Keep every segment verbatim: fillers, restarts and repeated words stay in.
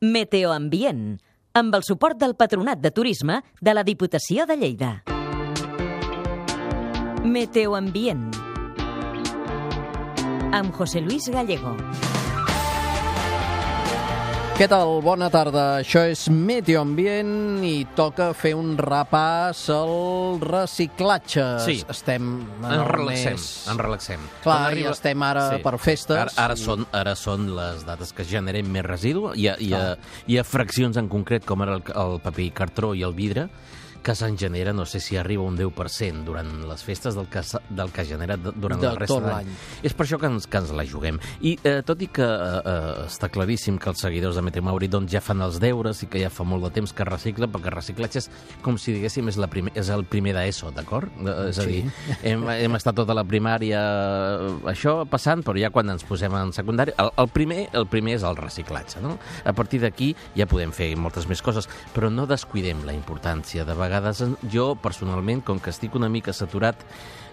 Meteoambient, amb el suport del Patronat de Turisme de la Diputació de Lleida. Meteoambient, amb José Luis Gallego. Què tal? Bona tarda. Això és Meteoambient i toca fer un repàs al reciclatge. Sí. Estem en Ens el relaxem, mes... ens relaxem. Clar, Quan arriba- i estem ara Sí. per festes. Ara, ara, i- són, ara són les dates que generem més residu. Hi ha, hi ha, Clar. hi ha fraccions en concret, com ara el, el paper i cartró i el vidre, que se'n genera, no sé si arriba a un deu per cent durant les festes del que, s'ha- del que genera d- durant De la resta tot de l'any. És per això que ens, que ens la juguem. I eh, tot i que eh, eh, està claríssim que els seguidors de Meteo Mauri doncs, ja fan els deures i que ja fa molt de temps que reciclen, perquè reciclatge és com si diguéssim és, la primer, és el primer d'ESO, d'acord? Eh, És a Sí. dir, hem, hem estat tota la primària eh, això passant, però ja quan ens posem en secundari, el, el, primer, el primer és el reciclatge, no? A partir d'aquí ja podem fer moltes més coses, però no descuidem la importància. De vegades en- jo, personalment, com que estic una mica saturat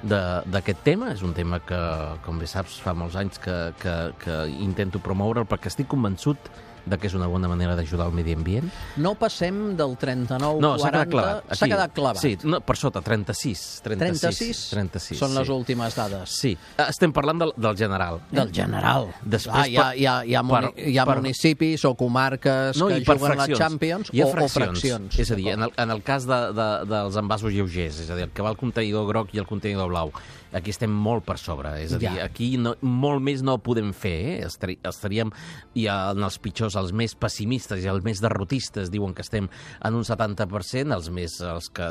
de- d'aquest tema, és un tema que, com bé saps, fa molts anys que, que, que intento promoure'l perquè estic convençut de que és una bona manera d'ajudar al medi ambient. No passem del trenta-nou No, s'ha quaranta. quedat clavat. S'ha Aquí. quedat clavat. Sí, no, per sota, trenta-sis. trenta-sis, trenta-sis? trenta-sis Són les sí. últimes dades. Sí, estem parlant del, del general. Del general. Després ah, hi, ha, per- hi, ha, hi, ha muni per- hi ha per- municipis o comarques No, que i per juguen la fraccions. Champions Hi ha o, fraccions. o fraccions. És a dir, en el, en el cas de, de, dels envasos lleugers, és a dir, el que va el contenidor groc i el contenidor blau, aquí estem molt per sobre. És a dir, Ja. aquí no, molt més no podem fer. Eh? Estari, estaríem, i en els pitjors, els més pessimistes i els més derrotistes diuen que estem en un setanta per cent, els més els que,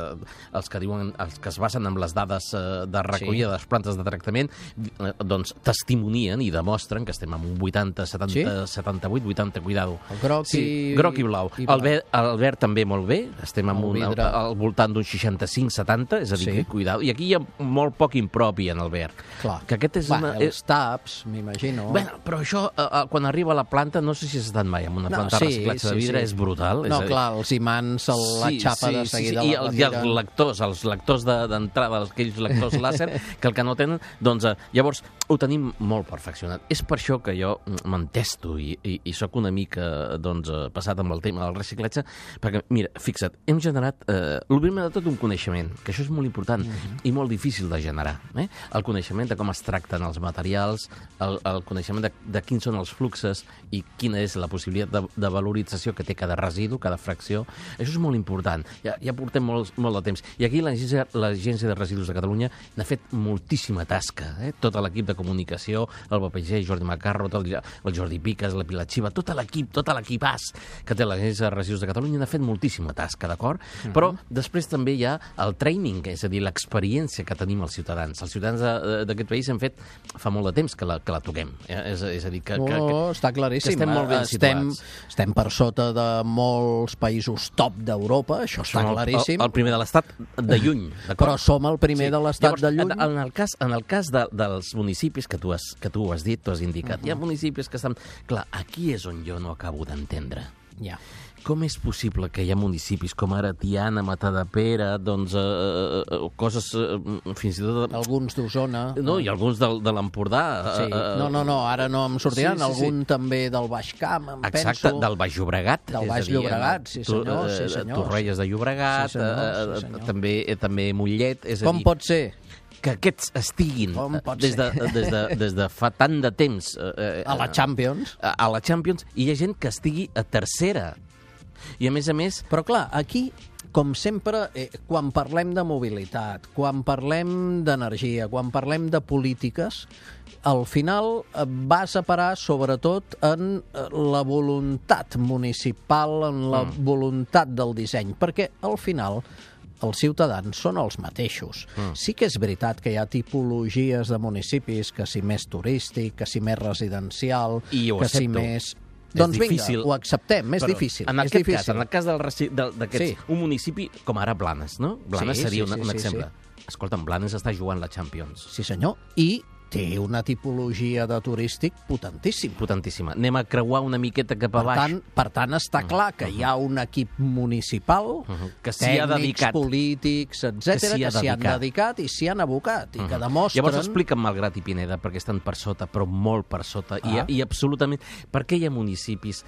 els que diuen els que es basen en les dades eh, de recollida Sí. de les plantes de tractament, eh, doncs testimonien i demostren que estem en un vuitanta, setanta, setanta-vuit, vuitanta, cuidado. El groc Sí, i- groc i blau. i El, blau. ver, el verd també molt bé, estem en El un, vidre. al, al voltant d'un seixanta-cinc setanta, és a dir, Sí. que cuidado. I aquí hi ha molt poc impropi en el verd. Clar. Que aquest és Va, una... els taps, m'imagino. Bueno, però això, eh, eh, quan arriba a la planta, no sé si has estat mai en una No, planta sí, de reciclatge de sí, vidre, sí. és brutal. No, és a dir, clar, els imants, el, la xapa de seguida I, la el, i els retiren. lectors, els lectors de- d'entrada, de, aquells lectors làser, que el que no tenen, doncs eh, llavors ho tenim molt perfeccionat. És per això que jo m'entesto i, i, i sóc una mica doncs, eh, passat amb el tema del reciclatge, perquè, mira, fixa't, hem generat, eh, el primer de tot, un coneixement, que això és molt important Mhm. i molt difícil de generar. Eh? El coneixement de com es tracten els materials, el, el coneixement de, de quins són els fluxes i quina és la possibilitat de, de valorització que té cada residu, cada fracció. Això és molt important. Ja, ja portem molt, molt de temps. I aquí l'Agència l'Agència de Residus de Catalunya n'ha fet moltíssima tasca. Eh? Tot l'equip de comunicació, el B P G, Jordi Macarro, tot el, el Jordi Piques, la Pilar Xiva, tot l'equip, tot l'equipàs que té l'Agència de Residus de Catalunya n'ha fet moltíssima tasca, d'acord? Mm -hmm. Però després també hi ha el training, és a dir, l'experiència que tenim els ciutadans. Els ciutadans de- d'aquest país hem fet fa molt de temps que la, que la toquem. Eh? És, és a dir, que, No, que, no, que, està claríssim. que estem molt ben estem, situats. estem per sota de molts països top d'Europa, això està Som el- claríssim. El, el primer de l'estat de lluny, d'acord? Però som el primer de l'estat Llavors, de lluny. En, en el cas, en el cas de, dels municipis que tu has, que tu has dit, tu has indicat, Mhm. hi ha municipis que estan... Clar, aquí és on jo no acabo d'entendre. Ja. Com és possible que hi ha municipis com ara Tiana, Matadepera, doncs, eh, eh, coses eh, fins i tot... Alguns d'Osona. No, i alguns del, de l'Empordà. Sí. eh, eh, No, no, no, ara no em sortiran. Sí, sí, sí. Algun també del Baix Camp, em Exacte, penso. del Baix Llobregat. Del és Baix a dir, Llobregat, sí, tu- senyor, sí, eh, senyor. Torrelles de Llobregat, Sí, senyor, eh, sí, eh, senyor. també, eh, també Mollet. És a Com dir, pot ser? que aquests estiguin Com eh, pot des de, des, de, des de fa tant de temps eh, eh, A la Champions. a, a la Champions, i hi ha gent que estigui a tercera. I a més a més, Però clar, aquí, com sempre, eh, quan parlem de mobilitat, quan parlem d'energia, quan parlem de polítiques, al final eh, vas a parar sobretot en eh, la voluntat municipal, en la mm. voluntat del disseny, perquè al final els ciutadans són els mateixos. Mm. Sí que és veritat que hi ha tipologies de municipis, que si més turístic, que si més residencial, I ho que si accepto. més... És Doncs vinga, difícil. ho acceptem, és però difícil. En és aquest difícil. cas, en el cas del reci- del- d'aquests, Sí. un municipi com ara Blanes, no? Blanes Sí, seria sí, un, sí, un sí, exemple. Escolta'm, Blanes està jugant la Champions. Sí, senyor. I té una tipologia de turístic potentíssima. Potentíssima. Anem a creuar una miqueta cap a Per baix. tant, per tant, està clar que hi ha un equip municipal, que s'hi ha tècnics, dedicat. polítics, etcètera, Que s'hi ha que s'hi han dedicat. dedicat i s'hi han abocat, i que demostren... Llavors explica'm Malgrat i Pineda, perquè estan per sota, però molt per sota, i, Ah. i absolutament... Per què hi ha municipis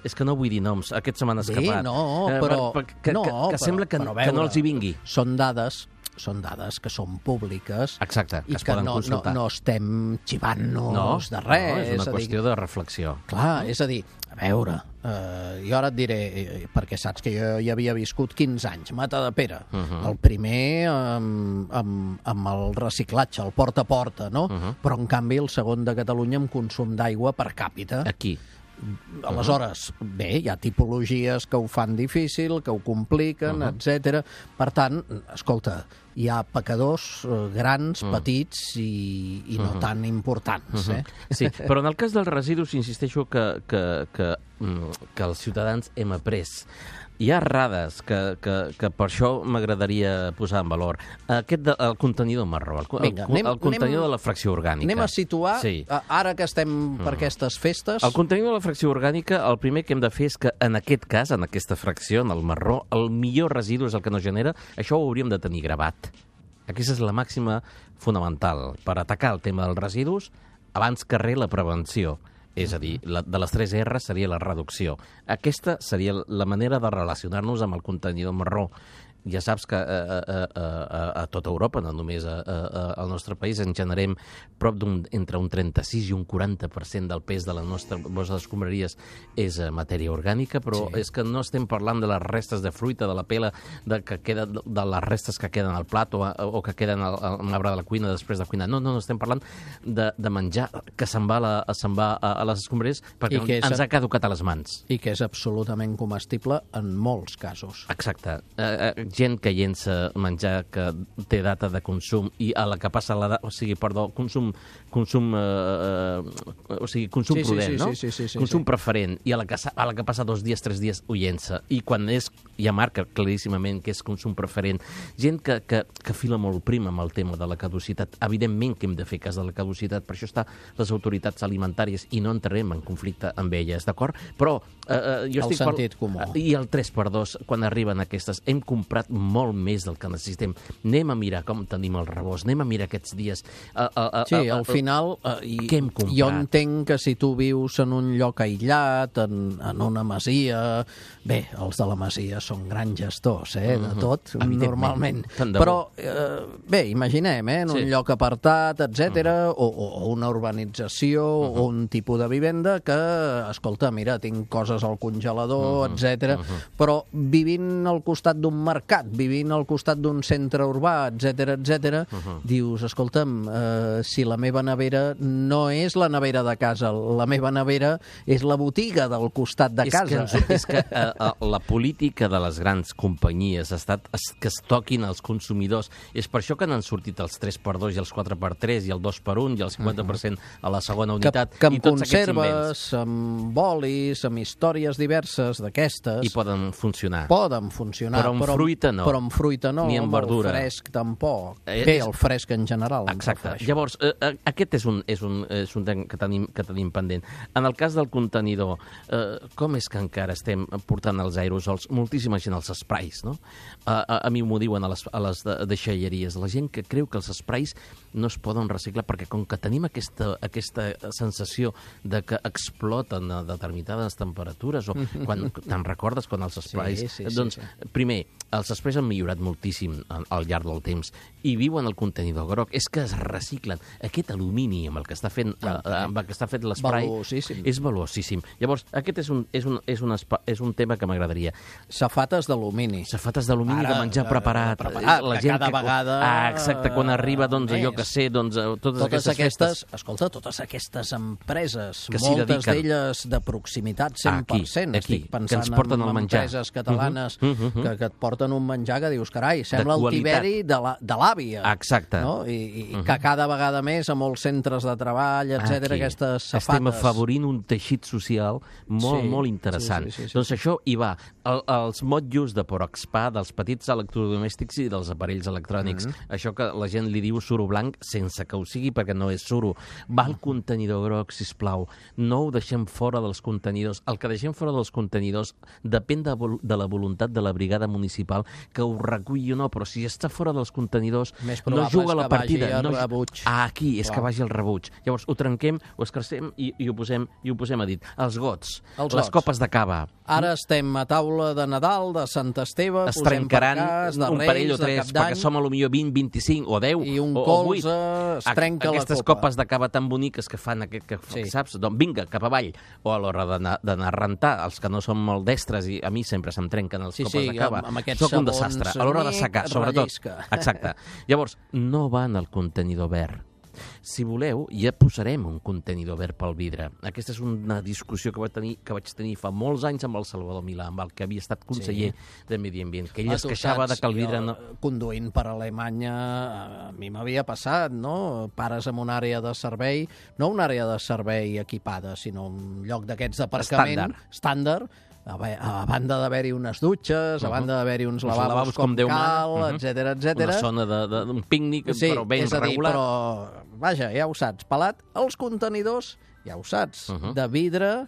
És que no vull dir noms, aquest se m'han Bé, escapat. no, Eh, però... per- per- que, no, que, que però- sembla que, però a que no veure, els hi vingui. Són dades, són dades que són públiques Exacte, que i es que poden no, no, consultar. no estem xivant-nos No, de res. no, és una a dir, qüestió de reflexió. Clar, és a dir, a veure, eh, jo ara et diré, eh, perquè saps que jo hi havia viscut quinze anys, Matadepera, uh -huh. el primer amb, amb, amb el reciclatge, el porta a porta, no? Uh -huh. Però en canvi el segon de Catalunya amb consum d'aigua per càpita. Aquí. Aleshores, bé, hi ha tipologies que ho fan difícil, que ho compliquen, uh -huh. etcètera. Per tant, escolta, hi ha pecadors eh, grans, uh -huh. petits i, i no uh -huh. tan importants. Eh? Sí, però en el cas dels residus insisteixo que, que, que, mm, que els ciutadans hem après. Hi ha errades que, que, que per això m'agradaria posar en valor. Aquest de, el contenidor marró, el, Vinga, el, anem- el contenidor anem- de la fracció orgànica. Anem a situar, Sí. a- ara que estem per aquestes festes... El contenidor de la fracció orgànica, el primer que hem de fer és que, en aquest cas, en aquesta fracció, en el marró, el millor residu és el que no genera. Això ho hauríem de tenir gravat. Aquesta és la màxima fonamental per atacar el tema dels residus abans que res la prevenció. És a dir, la, de les tres R seria la reducció. Aquesta seria la manera de relacionar-nos amb el contenidor marró. Ja saps que a, a, a, a, a tota Europa, no només a, a, al nostre país, en generem prop d'un entre un trenta-sis i un quaranta per cent del pes de les nostres escombraries és matèria orgànica, però sí. és que no estem parlant de les restes de fruita, de la pela, de, que queda, de les restes que queden al plat o, o que queden al, al arbre de la cuina després de cuinar. No, no, no estem parlant de, de menjar que se'n va, a la, se'n va a, a les escombraries perquè és, ens ha caducat a les mans. I que és absolutament comestible en molts casos. Exacte. Eh, eh, gent que llença menjar que té data de consum i a la que passa la data, o sigui, perdó, consum, consum, eh, eh, o sigui, consum sí, prudent, sí, sí, no? Sí, sí, sí, sí, consum sí. preferent, i a la, que, a la que passa dos dies, tres dies, ho llença. I quan és, ja marca claríssimament que és consum preferent. Gent que, que, que fila molt prim amb el tema de la caducitat. Evidentment que hem de fer cas de la caducitat, per això està les autoritats alimentàries i no entrarem en conflicte amb elles, d'acord? Però eh, eh, jo el estic... sentit comú. I el tres per dos, quan arriben aquestes, hem comprat molt més del que necessitem. Anem a mirar com tenim el rebost, anem a mirar aquests dies. Uh, uh, uh, Sí, uh, al final, uh, i, què hem comprat? jo entenc que si tu vius en un lloc aïllat, en, en una masia... Bé, els de la masia són grans gestors, eh, de tot, normalment. Però, eh, bé, imaginem, eh, en un Sí. lloc apartat, etcètera, o, o, o una urbanització, uh-huh. o un tipus de vivenda que, escolta, mira, tinc coses al congelador, uh-huh. etcètera, uh-huh. però vivint al costat d'un mercat, vivint al costat d'un centre urbà, etcètera, etcètera, uh-huh. dius, escolta'm, eh, si la meva nevera no és la nevera de casa, la meva nevera és la botiga del costat de és casa. Que ens, és que eh, la política de les grans companyies ha estat que es toquin els consumidors. És per això que n'han sortit els tres per dos i els quatre per tres i el dos per un i el cinquanta per cent a la segona unitat. Que, que amb i tots aquests conserves, invents. amb bolis, amb històries diverses d'aquestes... I poden funcionar. Poden funcionar, Però amb fruita no. Però amb fruita no, Ni amb verdura. el fresc tampoc. Eh, Bé, és- el fresc en general. em Exacte. refereixo. Llavors, eh, eh, aquest és un, és un, és un tema que tenim, que tenim pendent. En el cas del contenidor, eh, com és que encara estem portant els aerosols? Moltíssima gent als esprais, no? A, a, a mi m'ho diuen a les, a les de- deixalleries. La gent que creu que els esprais no es poden reciclar perquè com que tenim aquesta, aquesta sensació de que exploten a determinades temperatures o quan te'n recordes quan els esprais... Sí, sí, sí, doncs, sí. primer, els esprais han millorat moltíssim al, al llarg del temps i viuen al contenidor groc. És que es reciclen. Aquest alumini amb el que està fent, eh, amb el que està fet l'esprai Valuosíssim. és valuosíssim. Llavors, aquest és un, és un, és un, espa, és un tema que m'agradaria. Safates d'alumini. Safates d'alumini de Ara, menjar eh, preparat. preparat, la que gent cada vegada, Ah, exacte, quan arriba, doncs, més. allò que sé, doncs, eh, totes, Totes aquestes, aquestes, festes. escolta, totes aquestes empreses, Que s'hi moltes dediquen. d'elles de proximitat cent per cent, Aquí, aquí, estic que ens pensant porten en el menjar. empreses catalanes Uh -huh, uh -huh. que, que et porten un menjar que dius, carai, sembla el qualitat. tiberi de la- de l'àvia. Exacte. No? I, i uh -huh. que cada vegada més a molts centres de treball, etcètera, Aquí. aquestes safates. Estem afavorint un teixit social molt, Sí, molt interessant. sí, sí, sí, sí. Doncs això hi va. El, els motllos de Poroxpa, dels petits electrodomèstics i dels aparells electrònics. Mm-hmm. Això que la gent li diu suro blanc sense que ho sigui perquè no és suro. Va al contenidor groc, sisplau. No ho deixem fora dels contenidors. El que deixem fora dels contenidors depèn de, de la voluntat de la brigada municipal que ho reculli o no, però si està fora dels contenidors no juga la partida. No, ah, aquí és Clar. que vagi el rebuig. Llavors ho trenquem, ho escarcem i, i, ho, posem, i ho posem a dit. Els gots, els les gots. copes de cava. Ara estem a taula de Nadal, de Sant Esteve, es trencaran cas, de un Reis, parell o tres, perquè som a lo millor vint, vint-i-cinc o deu i un o, colze, o es trenca Aquestes la copa. copes de cava tan boniques que fan, aquest, que, sí. saps? Doncs vinga, cap avall. O a l'hora d'anar a rentar, els que no som molt destres, i a mi sempre se'm trenquen els sí, copes sí, de cava. Amb, amb Soc un desastre. A l'hora de secar, sobretot. Rellisca. Exacte. Llavors, no va en el contenidor verd. Si voleu, ja posarem un contenidor verd pel vidre. Aquesta és una discussió que vaig tenir, que vaig tenir fa molts anys amb el Salvador Milà, amb el que havia estat conseller sí. de Medi Ambient, que ell es queixava de que el vidre... No... Conduint per Alemanya, a mi m'havia passat, no? Pares en una àrea de servei, no una àrea de servei equipada, sinó un lloc d'aquests d'aparcament estàndard, a, a banda d'haver-hi unes dutxes, uh -huh. a banda d'haver-hi uns lavabos, lavabos com, com Déu cal, etcètera, uh -huh. etcètera. Una zona d'un pícnic, sí, però ben és a dir, regular. Però, vaja, ja ho saps, pelat, els contenidors, ja ho saps, uh -huh. de vidre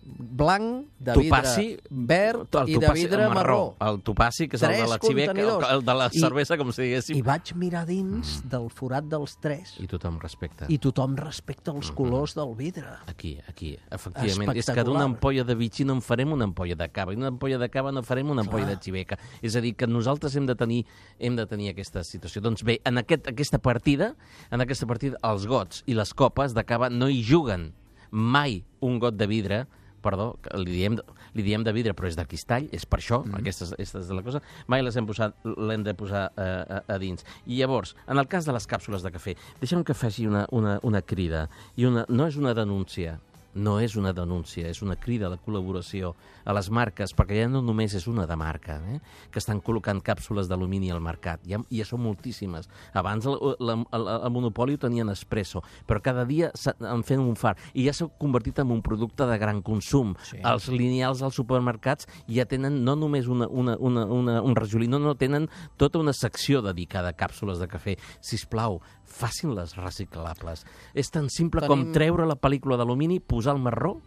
blanc, de topaci, vidre verd topaci, i de vidre marró. El topaci, que és el de l'Arxibec, el, el de la cervesa, I, com si diguéssim. I vaig mirar dins mm. del forat dels tres. I tothom respecta. I tothom respecta els mm-hmm. colors del vidre. Aquí, aquí, efectivament. És que d'una ampolla de vitxí no en farem una ampolla de cava, i una ampolla de cava no farem una ampolla Clar. de xiveca. És a dir, que nosaltres hem de tenir, hem de tenir aquesta situació. Doncs bé, en aquest, aquesta partida, en aquesta partida, els gots i les copes de cava no hi juguen mai un got de vidre. Perdó, li diem, li diem de vidre, però és de cristall, és per això, mm. aquesta, és, aquesta és la cosa, mai les hem posat, l'hem de posar eh, a, a dins. I llavors, en el cas de les càpsules de cafè, deixa'm que faci una, una, una crida, i una, no és una denúncia, no és una denúncia, és una crida a la col·laboració a les marques, perquè ja no només és una de marca, eh, que estan col·locant càpsules d'alumini al mercat, ja, ja són moltíssimes. Abans el, el, el, el monopoli ho tenien Espresso, però cada dia en fent un far, i ja s'ha convertit en un producte de gran consum. Sí. Els lineals als supermercats ja tenen no només una, una, una, una, un rajolí, no, no, tenen tota una secció dedicada a càpsules de cafè. Sisplau, facin-les reciclables. És tan simple Tenim... com treure la pel·lícula d'alumini, posar el marró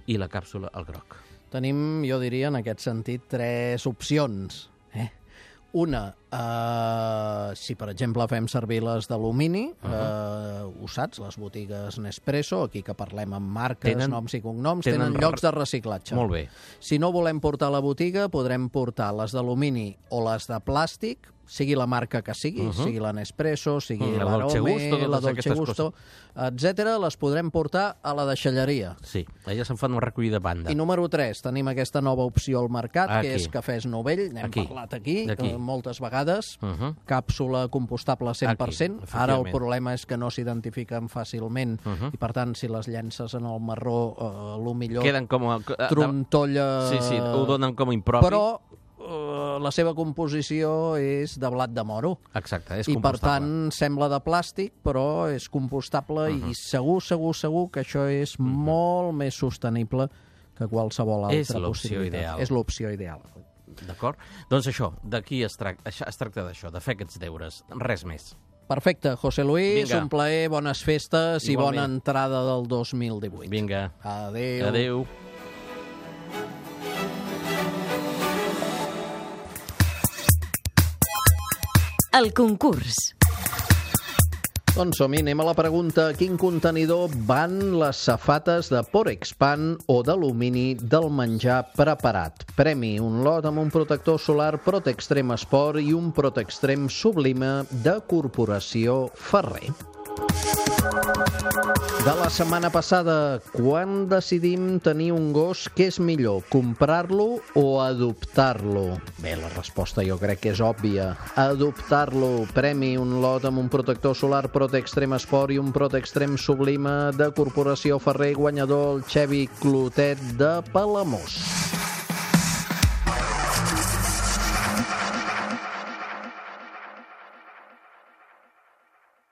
i la càpsula al groc. Tenim, jo diria, en aquest sentit, tres opcions. Eh? Una, eh, si per exemple fem servir les d'alumini, uh -huh. eh, ho saps, les botigues Nespresso, aquí que parlem amb marques, tenen, noms i cognoms, tenen, tenen llocs de reciclatge. Molt bé. Si no volem portar a la botiga, podrem portar les d'alumini o les de plàstic, sigui la marca que sigui, uh -huh. sigui la Nespresso, sigui uh -huh. la Dolce Gusto, la Dolce Gusto, etcètera, les podrem portar a la deixalleria. Sí, elles se'n fan una recollida banda. I número tres, tenim aquesta nova opció al mercat, aquí. que és cafès novell, n'hem aquí. parlat aquí, aquí. moltes vegades, uh -huh. càpsula compostable cent per cent. Aquí, ara el problema és que no s'identifiquen fàcilment, uh -huh. i per tant, si les llences en el marró, eh, lo millor queden com a, trontolla... Sí, sí, ho donen com a impropi. Però Uh, la seva composició és de blat de moro. Exacte, és I compostable. per tant sembla de plàstic, però és compostable uh -huh. i segur, segur, segur que això és uh -huh. molt més sostenible que qualsevol altra és possibilitat. Ideal. És l'opció ideal. D'acord? Doncs això, d'aquí es, tra es tracta d'això, de fer aquests deures, res més. Perfecte, José Luis, Vinga. un plaer, bones festes Igualment. i bona entrada del dos mil divuit. Vinga. Adéu. Adéu. El concurs. Doncs som-hi, anem a la pregunta. A quin contenidor van les safates de Porexpan o d'alumini del menjar preparat? Premi, un lot amb un protector solar Protextrem Sport i un Protextrem Sublime de Corporació Ferrer. De la setmana passada, quan decidim tenir un gos, què és millor, comprar-lo o adoptar-lo? Bé, la resposta jo crec que és òbvia. Adoptar-lo. Premi, un lot amb un protector solar Protextrem Sport i un Protextrem Sublime de Corporació Ferrer, guanyador el Xevi Clotet de Palamós.